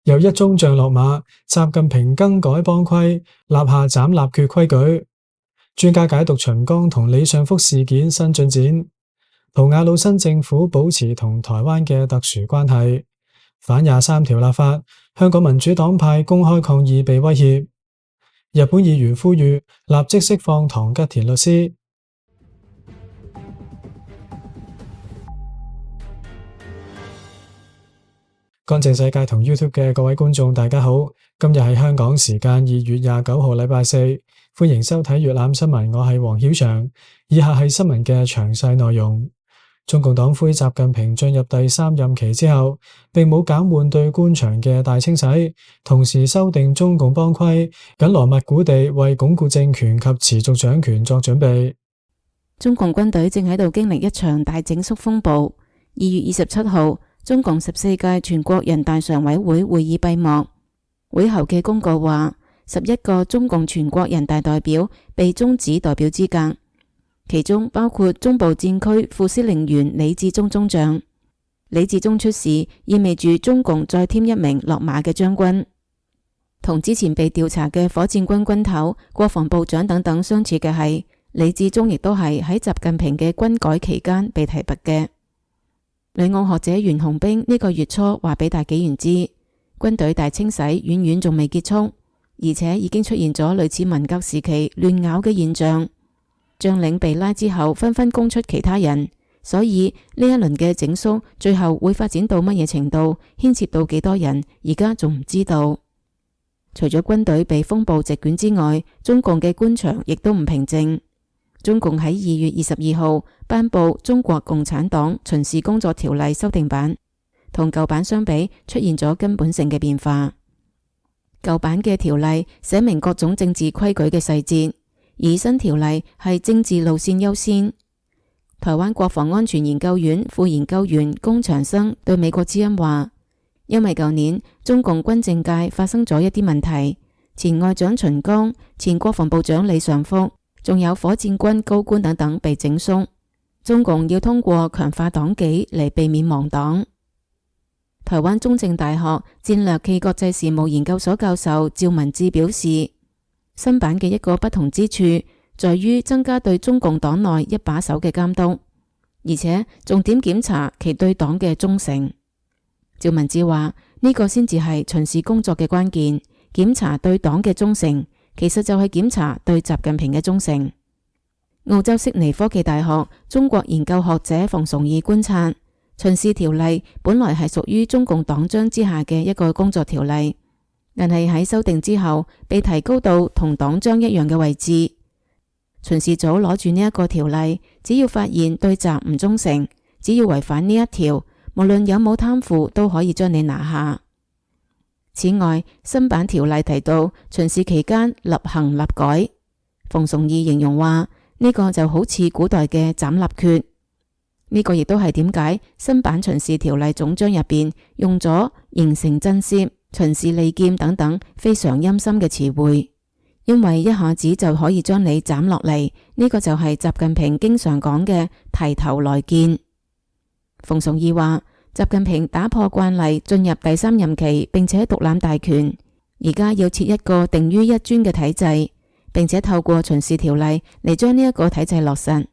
又一宗像落馬，習近平更改幫規，立下斬立決規矩。專家解讀秦剛同李尚福事件新進展。圖瓦魯新政府保持同台灣嘅特殊關係。反23條立法，香港民主黨派公開抗議被威脅。日本議員呼籲立即釋放唐吉田律師。乾淨世界同 YouTube 嘅各位觀眾大家好，今日係香港時間2月29號禮拜四，歡迎收睇粵覽新聞，我係黃曉翔。以下係新聞嘅詳細內容。中共黨魁習近平進入第3任期之後，並冇減緩對官場嘅大清洗，同時修訂中共幫規，緊鑼密鼓地為鞏固政權及持續掌權作準備。中共軍隊正喺度經歷一場大整肅風暴。2月27號，中共14屆全國人大常委會會議閉幕。會後嘅公告話，11個中共全國人大代表被終止代表資格。其中包括中部戰區副司令員李志忠中將。李志忠出事，意味住中共再添一名落馬嘅將軍。同之前被調查嘅火箭軍軍頭、國防部長等等相似嘅係，李志忠亦都係喺習近平嘅軍改期間被提拔嘅。旅澳學者袁洪兵呢個月初話俾大紀元知，軍隊大清洗遠遠仲未結束，而且已經出現咗類似文革時期亂咬嘅現象。將領被拉之後，紛紛供出其他人，所以呢一輪嘅整肅最後會發展到乜嘢程度，牽涉到幾多人，而家仲唔知道。除咗軍隊被風暴席捲之外，中共嘅官場亦都唔平靜。中共喺2月22號頒布《中國共產黨巡視工作條例》修訂版，同舊版相比，出現咗根本性嘅變化。舊版嘅條例寫明各種政治規矩嘅細節，而新條例係政治路線優先。台灣國防安全研究院副研究員龔長生對美國之音話，因為舊年中共軍政界發生咗一啲問題，前外長秦剛、前國防部長李尚福，仲有火箭軍高官等等被整肅，中共要通過強化黨紀嚟避免亡黨。台灣中正大學戰略暨國際事務研究所教授趙文志表示，新版嘅一個不同之處在於增加對中共黨內一把手嘅監督，而且重點檢查其對黨嘅忠誠。趙文志話，呢個先至係巡視工作嘅關鍵，檢查對黨嘅忠誠，其實就係檢查對習近平嘅忠誠。澳洲悉尼科技大學中國研究學者馮崇義觀察，巡視條例本來係屬於中共黨章之下嘅一個工作條例，但係喺修訂之後被提高到同黨章一樣嘅位置。巡視組攞住呢一個條例，只要發現對習唔忠誠，只要違反呢一條，無論有冇貪腐都可以將你拿下。此外，新版條例提到巡視期間立行立改，馮崇義形容話，呢個就好似古代嘅斬立決。呢個亦都係點解新版巡視條例總章入邊用咗形成震懾、巡視利劍等等非常陰森嘅詞彙，因為一下子就可以將你斬落嚟。呢個就係習近平經常講嘅提頭來見。馮崇義話，習近平打破慣例進入第3任期，並且獨攬大權，而家要設一個定於一尊嘅體制，並且透過巡視條例嚟將呢一個體制落實。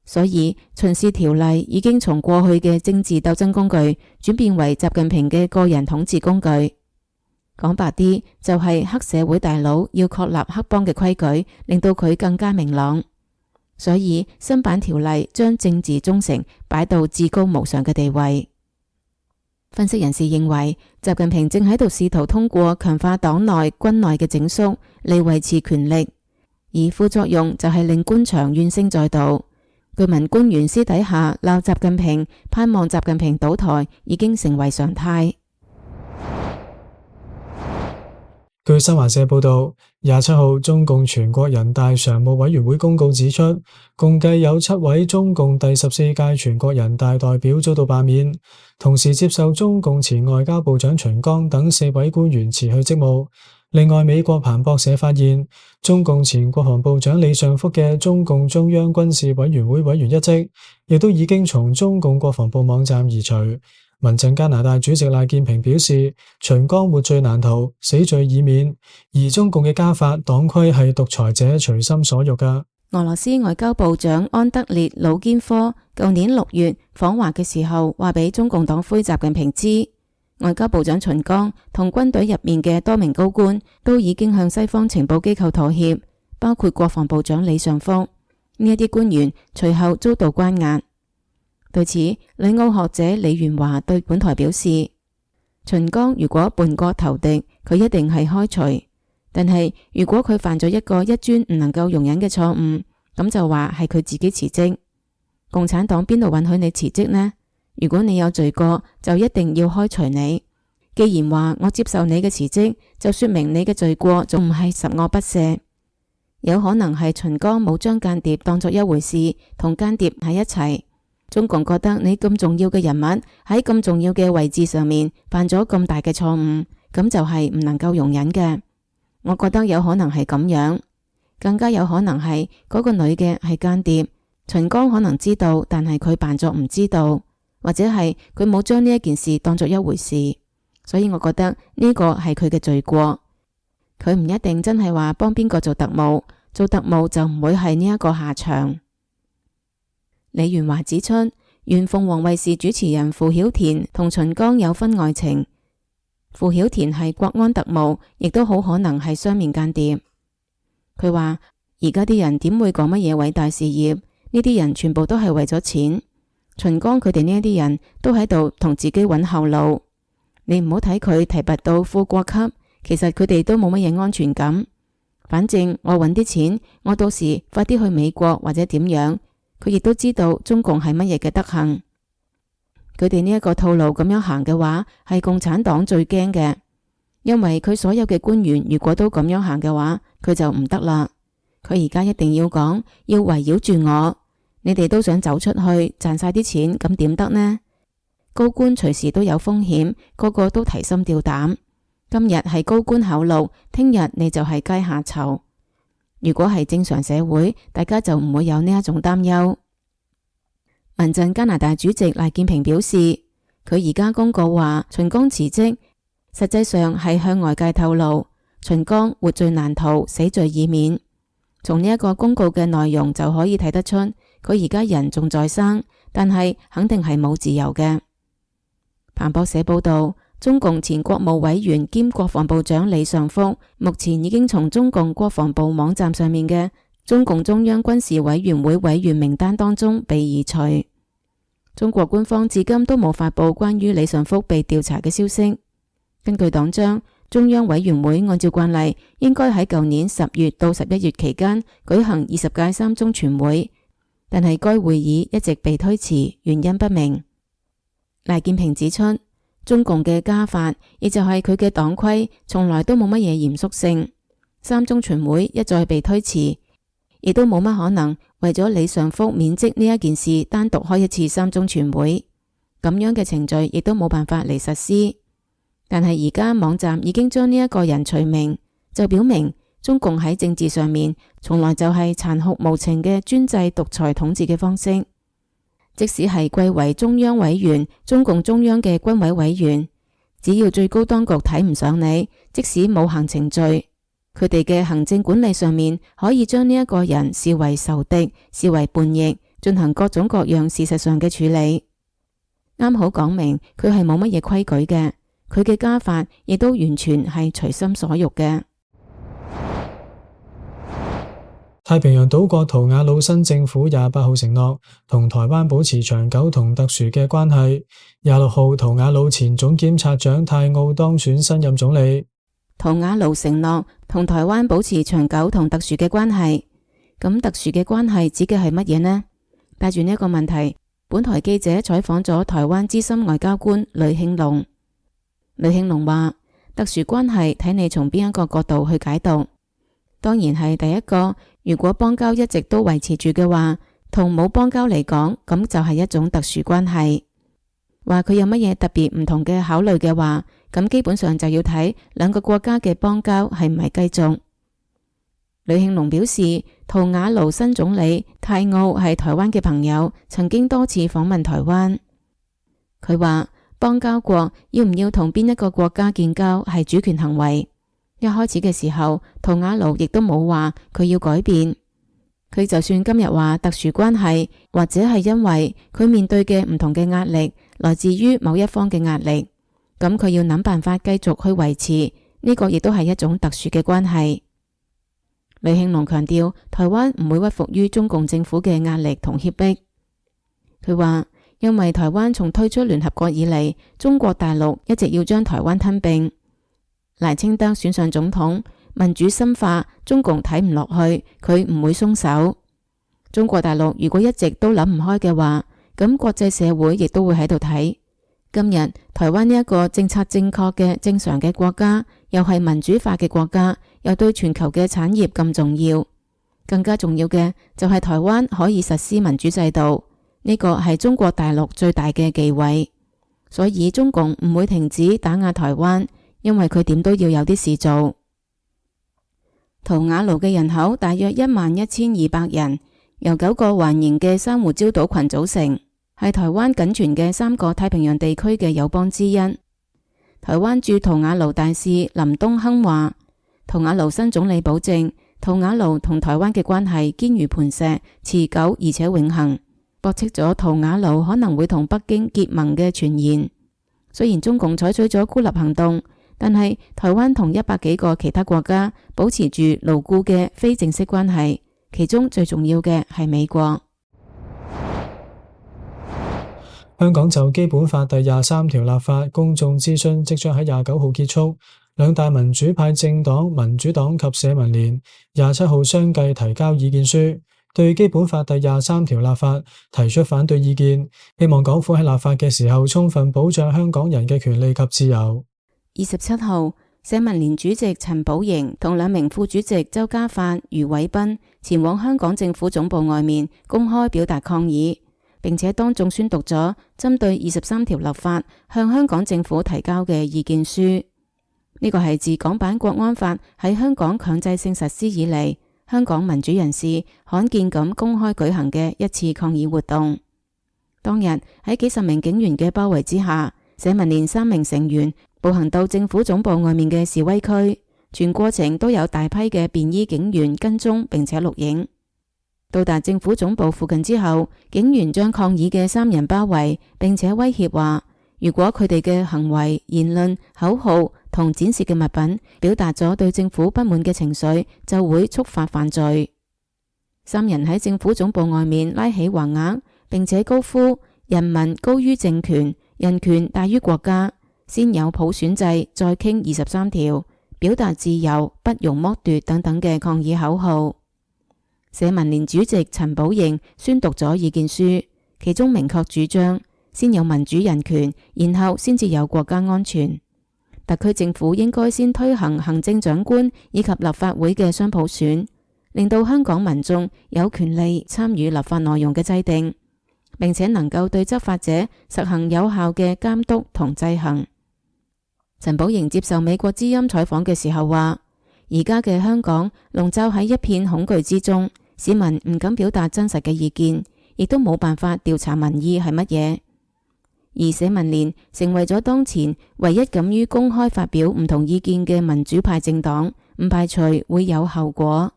所以巡視條例已經從過去嘅政治鬥爭工具轉變為習近平嘅個人統治工具。講白啲，就係黑社會大佬要確立黑幫嘅規矩，令到佢更加明朗。所以新版條例將政治忠誠擺到至高無上嘅地位。分析人士認為，習近平正喺度試圖通過強化黨內軍內嘅整肅嚟維持權力，而副作用就係令官場怨聲載道。據聞官員私底下鬧習近平，盼望習近平倒台，已經成為常態。據新華社報道，27號中共全國人大常務委員會公告指出，共計有7位中共第14屆全國人大代表遭到罷免，同時接受中共前外交部長秦剛等4位官員辭去職務。另外，美國彭博社發現，中共前國防部長李尚福嘅中共中央軍事委員會委員一職，亦都已經從中共國防部網站移除。民陣加拿大主席賴建平表示，秦剛活罪難逃，死罪已免，而中共嘅家法黨規係獨裁者隨心所欲㗎。俄羅斯外交部長安德烈魯堅科舊年6月訪華嘅時候，話俾中共黨魁習近平知，外交部長秦剛同軍隊入面嘅多名高官都已經向西方情報機構妥協，包括國防部長李尚福。呢一啲官員隨後遭到關押。對此，旅澳學者李元華對本台表示，秦剛如果叛國投敵，佢一定係開除。但係如果佢犯咗一個一尊唔能夠容忍嘅錯誤，咁就話係佢自己辭職。共產黨邊度允許你辭職呢？如果你有罪過，就一定要開除你。既然話我接受你嘅辭職，就說明你嘅罪過仲唔係十惡不赦。有可能係秦剛冇將間諜當作一回事，同間諜喺一齊。中共覺得你咁重要嘅人物喺咁重要嘅位置上面犯咗咁大嘅錯誤，咁就係唔能夠容忍嘅。我覺得有可能係咁樣，更加有可能係嗰個女嘅係間諜，秦剛可能知道，但係佢扮作唔知道，或者係佢冇將呢一件事當作一回事，所以我覺得呢個係佢嘅罪過。佢唔一定真係話幫邊個做特務，做特務就唔會係呢一個下場。李元華指出，原鳳凰衛視主持人傅曉田同秦剛有婚外情，傅曉田係國安特務，亦都好可能係雙面間諜。佢話而家啲人點會講乜嘢偉大事業？呢啲人全部都係為咗錢。秦剛佢哋呢一啲人都喺度同自己揾後路。你唔好睇佢提拔到副國級，其實佢哋都冇乜嘢安全感。反正我揾啲錢，我到時快啲去美國或者點樣。佢亦都知道中共係乜嘢嘅德行。佢哋呢一個套路咁樣行嘅話，係共產黨最驚嘅，因為佢所有嘅官員如果都咁樣行嘅話，佢就唔得啦。佢而家一定要講，要圍繞住我，你哋都想走出去賺晒啲錢，咁點得呢？高官隨時都有風險，個個都提心吊膽。今日係高官厚祿，聽日你就係階下囚。如果係正常社會，大家就唔會有呢一種擔憂。民陣加拿大主席賴建平表示，佢而家公告話秦剛辭職，實際上係向外界透露秦剛活罪難逃，死罪已免。從呢一個公告嘅內容就可以睇得出，佢而家人仲在生，但係肯定係冇自由嘅。彭博社報道，中共前國務委員兼國防部長李尚福目前已經從中共國防部網站上面嘅中共中央軍事委員會委員名單當中被移除。中國官方至今都冇發布關於李尚福被調查嘅消息。根據黨章，中央委員會按照慣例應該喺舊年10月到11月期間舉行20屆三中全會，但係該會議一直被推遲，原因不明。賴建平指出，中共嘅家法，亦就係佢嘅黨規，從來都冇乜嘢嚴肅性。三中全會一再被推遲，亦都冇乜可能為咗李尚福免職呢一件事單獨開一次三中全會，咁樣嘅程序亦都冇辦法嚟實施。但係而家網站已經將呢一個人除名，就表明中共喺政治上面從來就係殘酷無情嘅專制獨裁統治嘅方式。即使係貴為中央委員、中共中央嘅軍委委員，只要最高當局睇唔上你，即使冇行程序，佢哋嘅行政管理上面可以將呢一個人視為仇敵、視為叛逆，進行各種各樣事實上嘅處理。啱好講明佢係冇乜嘢規矩嘅，佢嘅家法亦都完全係隨心所欲嘅。太平洋島國圖瓦魯新政府28號承諾同台灣保持長久同特殊嘅關係。26號，圖瓦魯前總檢察長泰奧當選新任總理。圖瓦魯承諾同台灣保持長久同特殊嘅關係。咁特殊嘅關係指嘅係乜嘢呢？帶住呢一個問題，本台記者採訪咗台灣資深外交官呂慶龍。呂慶龍話：特殊關係睇你從邊一個角度去解讀。當然係第一個，如果邦交一直都維持住嘅話，同冇邦交嚟講，咁就係一種特殊關係。話佢有乜嘢特別唔同嘅考慮嘅話，咁基本上就要睇兩個國家嘅邦交係唔係繼續。呂慶龍表示，圖瓦魯新總理泰奧係台灣嘅朋友，曾經多次訪問台灣。佢話邦交國要唔要同邊一個國家建交係主權行為。一開始嘅時候，圖瓦盧亦都冇話佢要改變。佢就算今日話特殊關係，或者係因為佢面對嘅唔同嘅壓力來自於某一方嘅壓力，咁佢要諗辦法繼續去維持呢個，亦都係一種特殊嘅關係。李慶龍強調，台灣唔會屈服於中共政府嘅壓力同脅迫。佢話，因為台灣從退出聯合國以嚟，中國大陸一直要將台灣吞併。賴清德選上總統，民主深化，中共睇唔落去，佢唔會鬆手。中國大陸如果一直都諗唔開嘅話，咁國際社會亦都會喺度睇。今日台灣呢一個政策正確嘅正常嘅國家，又係民主化嘅國家，又對全球嘅產業咁重要。更加重要嘅就係台灣可以實施民主制度，呢個係中國大陸最大嘅忌諱。所以中共唔會停止打壓台灣，因為佢點都要有啲事做。圖瓦盧嘅人口大約11200人，由9個環形嘅珊瑚礁島群組成，係台灣僅存嘅3個太平洋地區嘅友邦之一。台灣駐圖瓦盧大使林東亨話，圖瓦盧新總理保證，圖瓦盧同台灣嘅關係堅如磐石，持久而且永恆，駁斥咗圖瓦盧可能會同北京結盟嘅傳言。雖然中共採取咗孤立行動，但係台灣同100幾個其他國家保持住牢固嘅非正式關係，其中最重要嘅係美國。香港就基本法第23條立法公眾諮詢即將喺29號結束，兩大民主派政黨民主黨及社民連27號相繼提交意見書，對基本法第23條立法提出反對意見，希望港府喺立法嘅時候充分保障香港人嘅權利及自由。27號，社民連主席陳寶瑩同2名副主席周家發、余偉斌前往香港政府總部外面公開表達抗議，並且當眾宣讀咗針對23條立法向香港政府提交嘅意見書。呢個係自港版國安法喺香港強制性實施以嚟，香港民主人士罕見咁公開舉行嘅一次抗議活動。當日喺幾十名警員嘅包圍之下，社民連3名成員步行到政府總部外面嘅示威區，全過程都有大批嘅便衣警員跟蹤並且錄影。到達政府總部附近之後，警員將抗議嘅3人包圍，並且威脅話，如果佢哋嘅行為、言論、口號同展示嘅物品表達咗對政府不滿嘅情緒，就會觸發犯罪。3人喺政府總部外面拉起橫額，並且高呼人民高於政權，人權大於國家，先有普選制，再傾23條，表達自由，不容剝奪等等嘅抗議口號。社民連主席陳寶瑩宣讀咗意見書，其中明確主張先有民主人權，然後先至有國家安全。特區政府應該先推行行政長官以及立法會嘅雙普選，令到香港民眾有權利參與立法內容嘅制定，並且能夠對執法者實行有效嘅監督同制衡。陳寶瑩接受美國之音採訪嘅時候話，而家嘅香港籠罩喺一片恐懼之中，市民唔敢表達真實嘅意見，亦都冇辦法調查民意係乜嘢。而社民連成為咗當前唯一敢於公開發表唔同意見嘅民主派政黨，唔排除會有後果。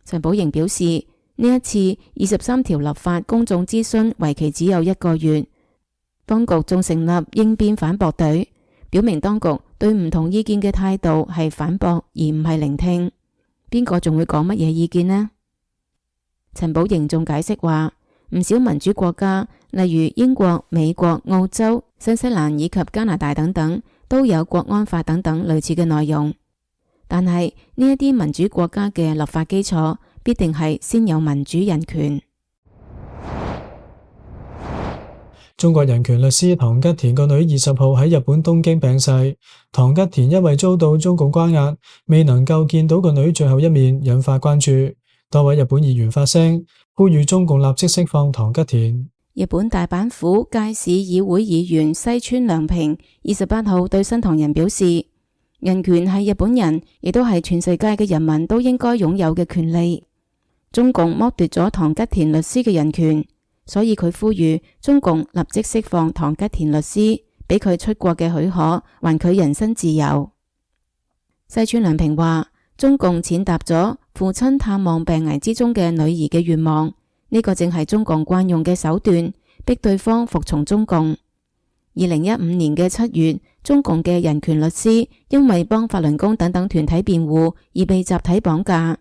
陳寶瑩表示，呢一次23條立法公眾諮詢為期只有1個月，當局仲成立應變反駁隊，表明當局對唔同意見嘅態度係反駁而唔係聆聽。邊個仲會講乜嘢意見呢？陳寶瑩仲解釋話，唔少民主國家，例如英國、美國、澳洲、新西蘭以及加拿大等等，都有國安法等等類似嘅內容。但係呢一啲民主國家嘅立法基礎，必定係先有民主人權。中國人權律師唐吉田個女20號喺日本東京病逝。唐吉田因為遭到中共關押，未能夠見到個女最後一面，引發關注。多位日本議員發聲，呼籲中共立即釋放唐吉田。日本大阪府堺市議會議員西村良平28號對新唐人表示，人權係日本人，亦都係全世界嘅人民都應該擁有嘅權利。中共剝奪咗唐吉田律師嘅人權，所以佢呼籲中共立即釋放唐吉田律師，俾佢出國嘅許可，還佢人身自由。西村良平話，中共踐踏咗父親探望病危之中嘅女兒嘅願望，呢個正係中共慣用嘅手段，逼對方服從中共。2015年嘅7月，中共嘅人權律師因為幫法輪功等等團體辯護而被集體綁架，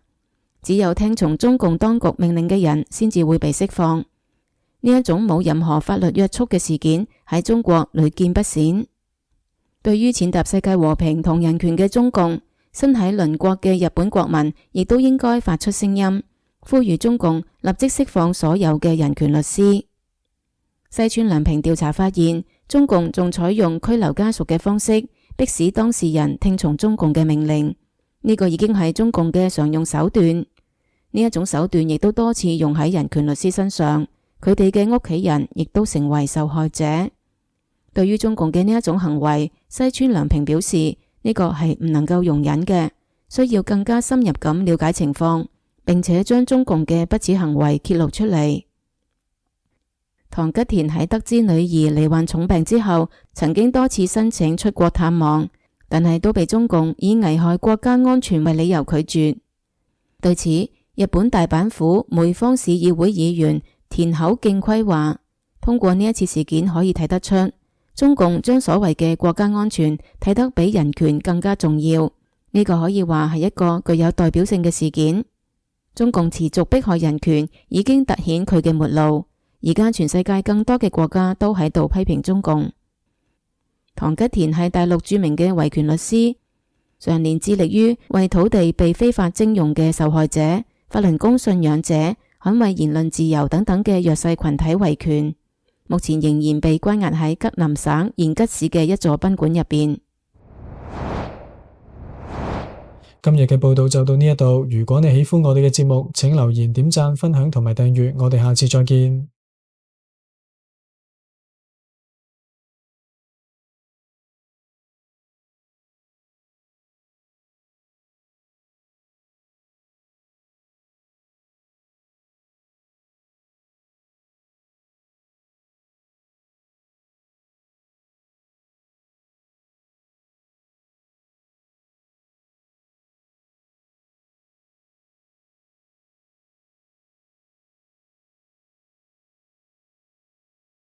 只有聽從中共當局命令嘅人先至會被釋放。呢一種冇任何法律約束嘅事件喺中國屢見不鮮。對於踐踏世界和平同人權嘅中共，身喺鄰國嘅日本國民亦都應該發出聲音，呼籲中共立即釋放所有嘅人權律師。西村良平調查發現，中共仲採用拘留家屬嘅方式，迫使當事人聽從中共嘅命令，呢個已經係中共嘅常用手段。呢一種手段亦都多次用喺人權律師身上，佢哋嘅屋企人亦都成為受害者。對於中共嘅呢一種行為，西村良平表示，呢個係唔能夠容忍嘅，需要更加深入咁了解情況，並且將中共嘅不恥行為揭露出嚟。唐吉田喺得知女兒罹患重病之後，曾經多次申請出國探望，但係都被中共以危害國家安全為理由拒絕。對此，日本大阪府梅方市議會議員田口敬規話，通過呢一次事件可以睇得出，中共將所謂嘅國家安全睇得比人權更加重要，呢個可以話係一個具有代表性嘅事件。中共持續迫害人權已經凸顯佢嘅末路，而家全世界更多嘅國家都喺度批評中共。唐吉田係大陸著名嘅維權律師，常年致力於為土地被非法徵用嘅受害者、法輪功信仰者、捍衛言論自由等等嘅弱勢群體維權。目前仍然被關押喺吉林省延吉市嘅一座賓館入邊。今日嘅報道就到呢一度，如果你喜歡我哋嘅節目，請留言、點讚、分享同埋訂閱，我哋下次再見。